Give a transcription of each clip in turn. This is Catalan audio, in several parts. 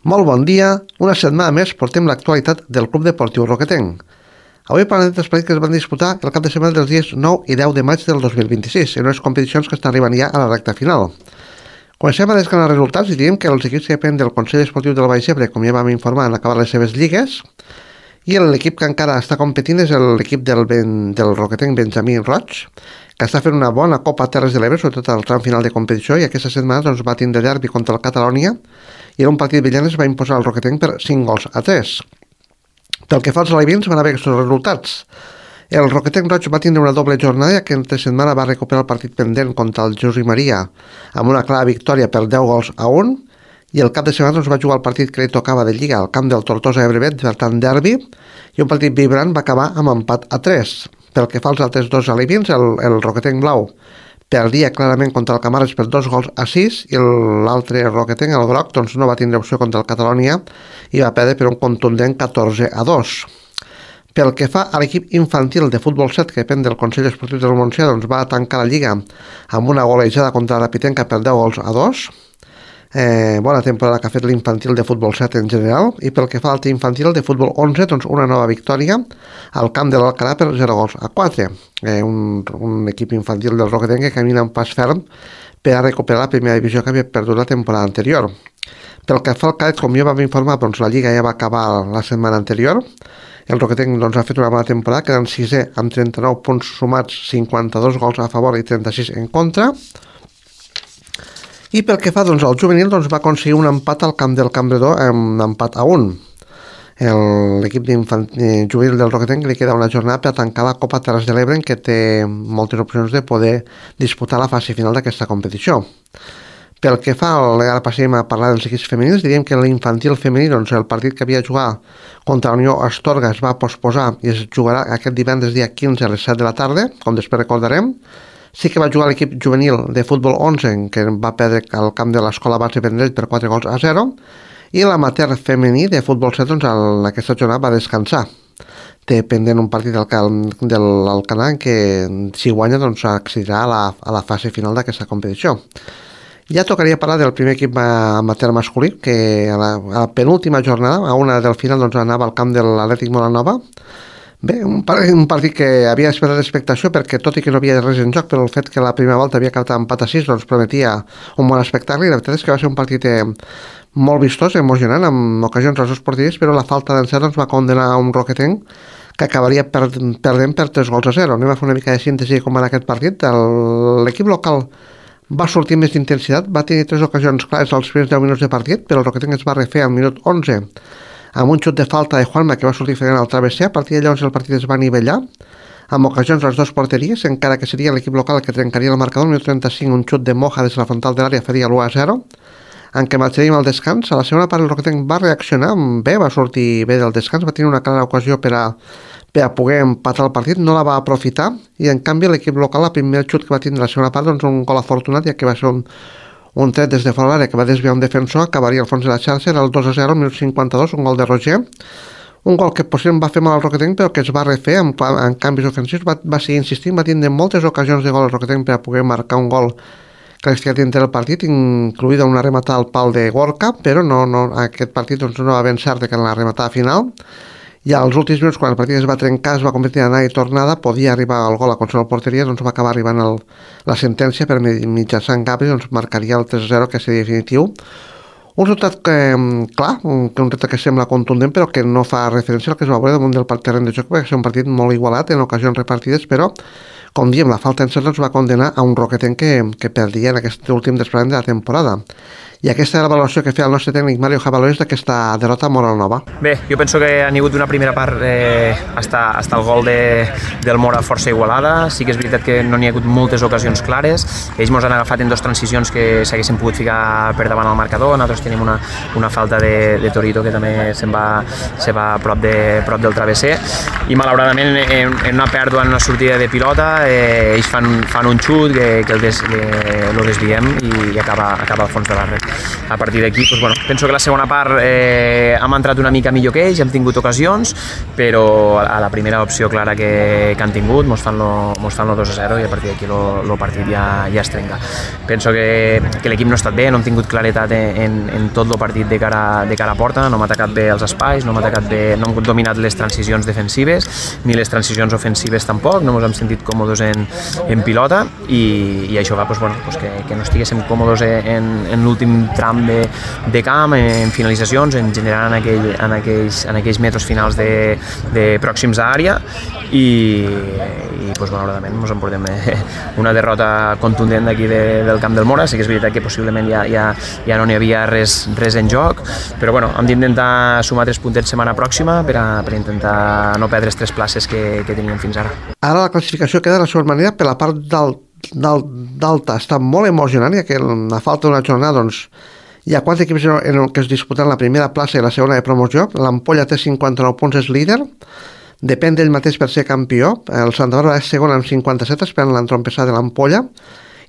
Molt bon dia, una setmana més portem l'actualitat del Club Deportiu Roquetenc. Avui parlarem dels partits que es van disputar el cap de setmana dels dies 9 i 10 de maig del 2026, en unes competicions que estan arribant ja a la recta final. Comencem a desgranar els resultats i diem que els equips que depenen del Consell Esportiu del Baix Ebre, com ja vam informar, han acabat les seves lligues, i l'equip que encara està competint és l'equip del Roquetenc Benjamí Roig, que està fent una bona Copa Terres de l'Ebre, sobretot al tram final de competició, i aquesta setmana va tindre derbi contra el Catalònia, i en un partit brillant es va imposar el Roquetenc per 5-3. Pel que fa als alevins van haver aquests resultats. El Roquetenc Roig va tindre una doble jornada, ja que entre setmana va recuperar el partit pendent contra el Jesús i Maria amb una clara victòria per 10-1, i el cap de setmana va jugar el partit que li tocava de Lliga al camp del Tortosa Ebrevet, per tant derbi, i un partit vibrant va acabar amb empat a 3. Pel que fa als altres dos alevins, el Roquetenc Blau perdia clarament contra el Camares per 2-6, i l'altre Roquetenc, el groc, doncs no va tindre opció contra el Catalònia i va perdre per un contundent 14-2. Pel que fa a l'equip infantil de futbol 7, que depèn del Consell Esportiu del Montsià, doncs va tancar la Lliga amb una golejada contra la Pitenca per 10-2. Bona temporada que ha fet l'infantil de futbol 7 en general, i pel que fa al infantil de futbol 11, doncs una nova victòria al camp de l'Alcalà per 0-4. Un equip infantil del Roquetenc que camina un pas ferm per a recuperar la primera divisió que havia perdut la temporada anterior. Pel que fa al cadet, com ja vam informar, doncs la Lliga ja va acabar la setmana anterior. El Roquetenc ha fet una bona temporada, quedant sisè amb 39 punts sumats, 52 gols a favor i 36 en contra. I pel que fa al juvenil, va aconseguir un empat al camp del Campredó amb empat a 1. L'equip juvenil del Roquetenc li queda una jornada per tancar la Copa Terres de l'Ebre, en què té moltes opcions de poder disputar la fase final d'aquesta competició. Pel que fa, ara passem a parlar dels equips femenins, diríem que l'infantil femení, el partit que havia de jugar contra la Unió Astorga es va posposar i es jugarà aquest divendres dia 15 a les 7 de la tarda, com després recordarem. Sí que va jugar l'equip juvenil de futbol 11, que va perdre al camp de l'Escola Base Vendrell per 4-0, i l'amateur femení de futbol 7 en aquesta jornada va descansar. Té pendent un partit de l'Alcanar que, si guanya, accedirà a la fase final d'aquesta competició. Ja tocaria parlar del primer equip amateur masculí, que a la penúltima jornada, a una del final, anava al camp de l'Atlètic Molanova. Bé, un partit que havia esperat l'expectació, perquè tot i que no havia res en joc, però el fet que la primera volta havia acabat empat a 6 prometia un bon espectacle, i la veritat és que va ser un partit molt vistós, emocionant, amb ocasions als dos porteries, però la falta d'encert va condenar a un Roquetenc que acabaria perdent per 3-0. Anem a fer una mica de síntesi com va aquest partit. L'equip local va sortir més d'intensitat, va tenir 3 ocasions clares als primers 10 minuts de partit, però el Roquetenc es va refer al minut 11 amb un xut de falta de Juanma que va sortir fent al travesser. A partir de llavors el partit es va anivellar amb ocasions a les dues porteries, encara que seria l'equip local que trencaria el marcador. Al minut 35 un xut de Moja des de la frontal de l'àrea faria l'1-0, en què marxaríem al descans. A la segona part el Roquetenc va reaccionar bé, va sortir bé del descans, va tenir una clara ocasió per a poder empatar el partit, no la va aprofitar, i en canvi l'equip local, el primer xut que va tindre la segona part, un gol afortunat, ja que va ser un tret des de fora l'àrea que va desviar un defensor, acabaria al fons de la xarxa, era el 2-0 al minut 52, un gol de Roger, un gol que possiblement va fer mal al Roquetenc, però que es va refer en canvis ofensius, va seguir insistint, va tindre moltes ocasions de gol al Roquetenc per a poder marcar un gol que l'ha dintre del partit, incluïda una rematada al pal de Gorka, però aquest partit no va ben cert que en la rematada final. I als últims minuts, quan el partit es va trencar, es va convertir en anada i tornada, podia arribar al gol a qualsevol porteria, va acabar arribant la sentència per mitjançant Gabri, marcaria el 3-0, que seria definitiu. Un resultat clar, un resultat que sembla contundent, però que no fa referència al que es va veure damunt del terreny de joc, perquè és un partit molt igualat en ocasions repartides, però, com diem, la falta d'encert va condenar a un Roquetenc que perdia en aquest últim desplaçament de la temporada. I aquesta era la valoració que feia el nostre tècnic Mario Jabalores d'aquesta derrota a Molanova. Bé, jo penso que ha hagut una primera part hasta el gol del Mora força igualada. Sí que és veritat que no n'hi ha hagut moltes ocasions clares. Ells ens han agafat en 2 transicions que s'haguessin pogut ficar per davant al marcador. Nosaltres tenim una falta de Torito que també se va prop del travesser. I malauradament en una pèrdua, en una sortida de pilota, ells fan un xut que el desviem i acaba al fons de la red. a partir d'aquí, doncs, bueno, penso que la segona part hem entrat una mica millor que ells, hem tingut ocasions, però a la primera opció clara que han tingut mos fan lo 2-0 i a partir d'aquí el partit ja es trenca. Penso que l'equip no ha estat bé, no hem tingut claretat en tot el partit de cara a porta, no hem atacat bé els espais, no hem dominat les transicions defensives ni les transicions ofensives tampoc, no ens hem sentit còmodes en pilota i això fa que no estiguéssim còmodes en l'últim tram de camp, en finalitzacions, en generar en aquells metres finals de pròxims a àrea i malauradament ens emportem una derrota contundent d'aquí del camp del Mora. Sí que és veritat que possiblement ja no n'hi havia res en joc, però bueno, hem d'intentar sumar 3 puntets setmana pròxima per intentar no perdre les 3 places que teníem fins ara. Ara la classificació queda de la següent manera. Per la part d'alta està molt emocionant, ja que a falta d'una jornada hi ha 4 equips que es disputen la primera plaça i la segona de promoció. L'Ampolla té 59 punts, és líder, depèn d'ell mateix per ser campió. El Santa Bàrbara és segon amb 57, esperant l'entrompessada de l'Ampolla,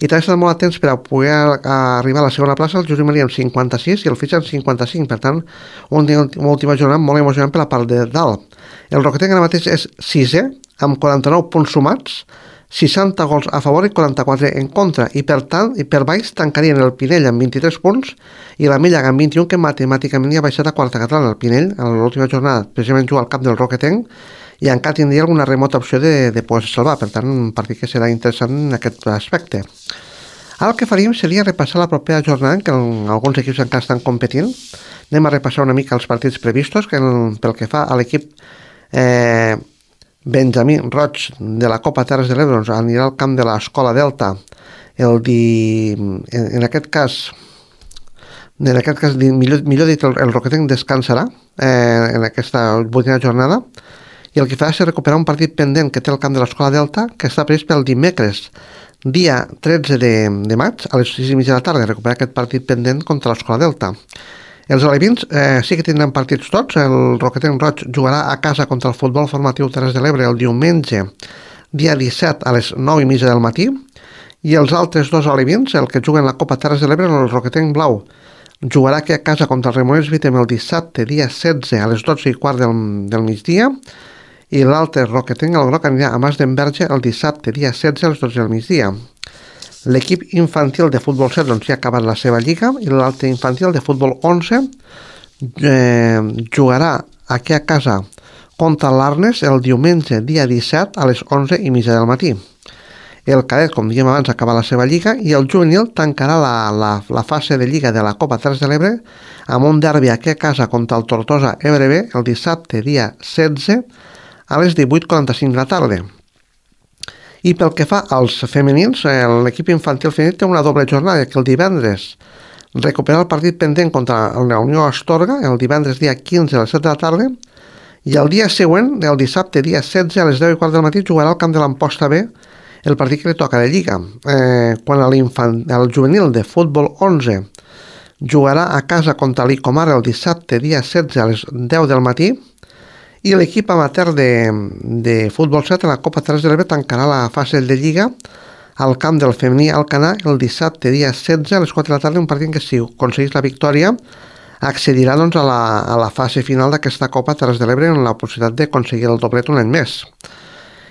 i també estan molt atents per a poder arribar a la segona plaça el Josep Maria amb 56 i el Fitxa amb 55. Per tant, una última jornada molt emocionant per la part de dalt. El Roquetenc ara mateix és 6è amb 49 punts sumats, 60 gols a favor i 44 en contra, i per tant, i per baix tancarien el Pinell amb 23 punts i la Mella amb 21, que matemàticament ja ha baixat a quarta catalana. El Pinell, a l'última jornada, precisament juga al camp del Roquetenc i encara tindria alguna remota opció de poder salvar. Per tant, un partit que serà interessant en aquest aspecte. Ara el que faríem seria repassar la propera jornada, en què alguns equips encara estan competint. Anem a repassar una mica els partits previstos, que pel que fa a l'equip Benjamí Roig de la Copa Terres de l'Ebre, anirà al camp de l'Escola Delta en aquest cas, millor dit, el Roquetenc descansarà en aquesta 8a jornada, i el que farà és recuperar un partit pendent que té el camp de l'Escola Delta, que està previst pel dimecres, dia 13 de maig, a les 6:30 de la tarda, recuperar aquest partit pendent contra l'Escola Delta. Els alevins sí que tindran partits tots. El Roquetenc Roig jugarà a casa contra el Futbol Formatiu Terres de l'Ebre el diumenge, dia 17 a les 9:30 del matí, i els altres dos alevins, el que juguen la Copa Terres de l'Ebre, el Roquetenc Blau, jugarà aquí a casa contra el Remoners Vitem el dissabte, dia 16 a les 12:15 del migdia, i l'altre Roquetenc, el Groc, anirà a Mas d'Enverge el dissabte, dia 16 a les 12 del migdia. L'equip infantil de futbol 7 ja ha acabat la seva lliga, i l'altre infantil de futbol 11 jugarà aquí a casa contra l'Arnes el diumenge, dia 17 a les 11:30 del matí. El cadet, com dèiem abans, acaba la seva lliga, i el juvenil tancarà la fase de lliga de la Copa Terres de l'Ebre amb un derbi aquí a casa contra el Tortosa EBRB el dissabte, dia 16 a les 18:45 de la tarda. I pel que fa als femenins, l'equip infantil femení té una doble jornada, que el divendres recuperar el partit pendent contra la Unió Astorga, el divendres dia 15 a les 7 de la tarda, i el dia següent, el dissabte dia 16 a les 10:15 del matí, jugarà al camp de l'Amposta B el partit que li toca de lliga. Quan el juvenil de futbol 11 jugarà a casa contra l'Icomar el dissabte dia 16 a les 10 del matí, i l'equip amateur de futbol 7 a la Copa Terres de l'Ebre tancarà la fase de lliga al camp del femení Alcanar el dissabte dia 16 a les 4 de la tarda, un partit que, si aconseguís la victòria, accedirà a la fase final d'aquesta Copa Terres de l'Ebre amb la possibilitat d'aconseguir el doblet un any més.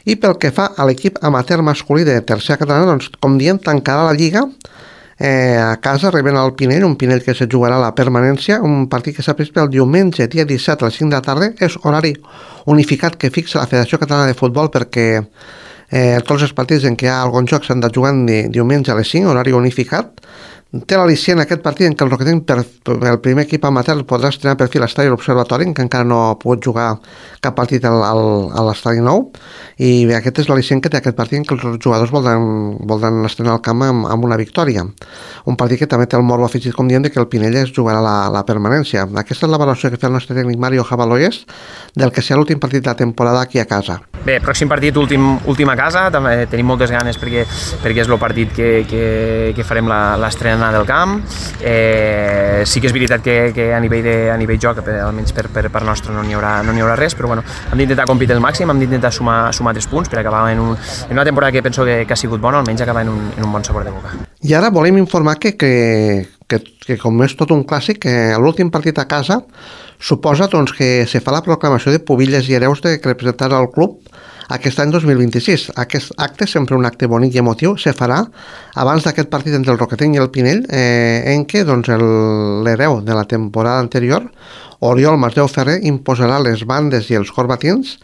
I pel que fa a l'equip amateur masculí de tercera catalana, com diem, tancarà la lliga a casa rebent el Pinell, un Pinell que se jugarà a la permanència, un partit que s'ha previst pel diumenge, dia 17 a les 5 de la tarda. És horari unificat que fixa la Federació Catalana de Futbol, perquè tots els partits en què hi ha algun joc s'han de jugar diumenge a les 5, horari unificat. Té l'al·licient aquest partit en què el Roquetenc, el primer equip amateur, podrà estrenar per fi l'estadi l'Observatori, que encara no ha pogut jugar cap partit a l'estadi nou, i aquest és l'al·licient que té aquest partit, en què els jugadors voldran estrenar el camp amb una victòria. Un partit que també té el morbo afegit, com diem, que el Pinell es jugarà la permanència. Aquesta és la valoració que fa el nostre tècnic Mario Javaloyes del que serà l'últim partit de la temporada aquí a casa. Bé, pròxim partit, últim a casa, també tenim moltes ganes perquè és el partit que farem l'estrena del camp. Sí que és veritat que a nivell joc, almenys per part nostra, no n'hi haurà res, però bueno, hem d'intentar competir al màxim, hem d'intentar sumar 3 punts per acabar en una temporada que penso que ha sigut bona, almenys acabar en un bon sabor de boca. I ara volem informar que que com és tot un clàssic, l'últim partit a casa suposa doncs, que se fa la proclamació de pubilles i hereus que representaran el club aquest any 2026. Aquest acte, sempre un acte bonic i emotiu, se farà abans d'aquest partit entre el Roquetenc i el Pinell, en què doncs, l'hereu de la temporada anterior, Oriol Masdeu Ferrer, imposarà les bandes i els corbatins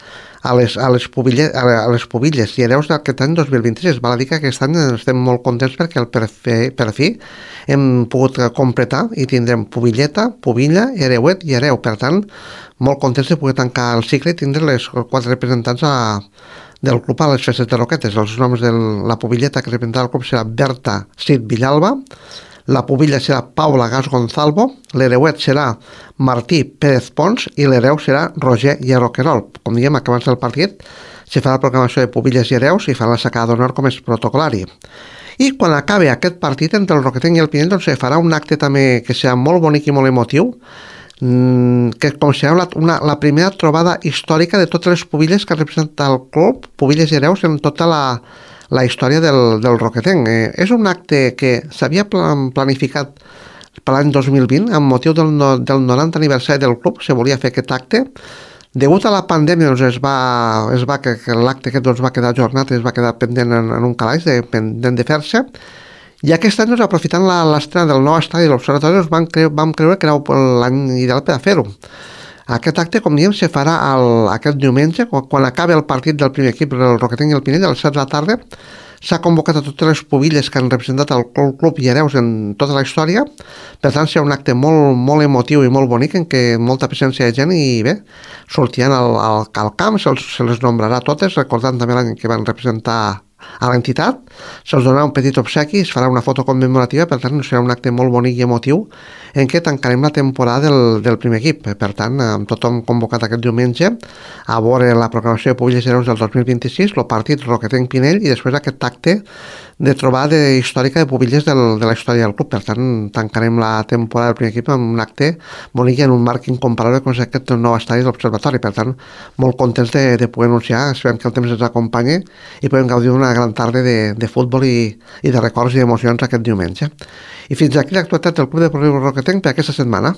a les pubilles i hereus d'aquest any 2026. Val a dir que aquest any estem molt contents perquè per fi hem pogut completar i tindrem pubilleta, pubilla, hereuet i hereu. Per tant, molt contents de poder tancar el cicle i tindre les 4 representants del club a les festes de Roquetes. Els noms de la pubilleta que representarà el club serà Berta Cid Villalba, la pubilla serà Paula Gas Gonzalvo, l'hereuet serà Martí Pérez Pons i l'hereu serà Roger Hierro-Querol. Com diem, acabant del partit se farà la proclamació de pubilles i hereus i farà la sacada d'honor com és protocolari. I quan acabi aquest partit entre el Roquetenc i el Pinell doncs se farà un acte també que serà molt bonic i molt emotiu, que considerem la primera trobada històrica de totes les pubilles que representa el club, pubilles i hereus en tota la història del Roquetenc. És un acte que s'havia planificat per l'any 2020 amb motiu del 90 aniversari del club. Se volia fer aquest acte. Degut a la pandèmia doncs que l'acte aquest doncs, va quedar ajornat, es va quedar pendent en un calaix, pendent de fer-se. I aquest any, doncs, aprofitant l'estrena del nou estadi de l'Observatori, vam creure que era l'any ideal per a fer-ho. Aquest acte, com diem, se farà aquest diumenge, quan acabi el partit del primer equip, el Roquetenc i el Pinell, a les 7 de la tarda. S'ha convocat a totes les pubilles que han representat el club i hereus en tota la història. Per tant, serà un acte molt, molt emotiu i molt bonic, en què molta presència de gent i bé, sortiran al camp, se les nombrarà totes, recordant també l'any que van representar a l'entitat, se'ls donarà un petit obsequi, es farà una foto commemorativa, per tant serà un acte molt bonic i emotiu en què tancarem la temporada del primer equip. Per tant, amb tothom convocat aquest diumenge a veure la proclamació de pubilles i hereus del 2026, el partit Roquetenc-Pinell i després aquest acte de trobada històrica de pubilles de la història del club. Per tant, tancarem la temporada del primer equip amb un acte bonic i en un marc incomparable com és aquest nou estadi de l'Observatori. Per tant, molt contents de poder anunciar, esperem que el temps ens acompanyi i podem gaudir d'una gran tarda de futbol i de records i emocions aquest diumenge. I fins aquí l'actualitat del Club Deportiu Roquetenc per aquesta setmana.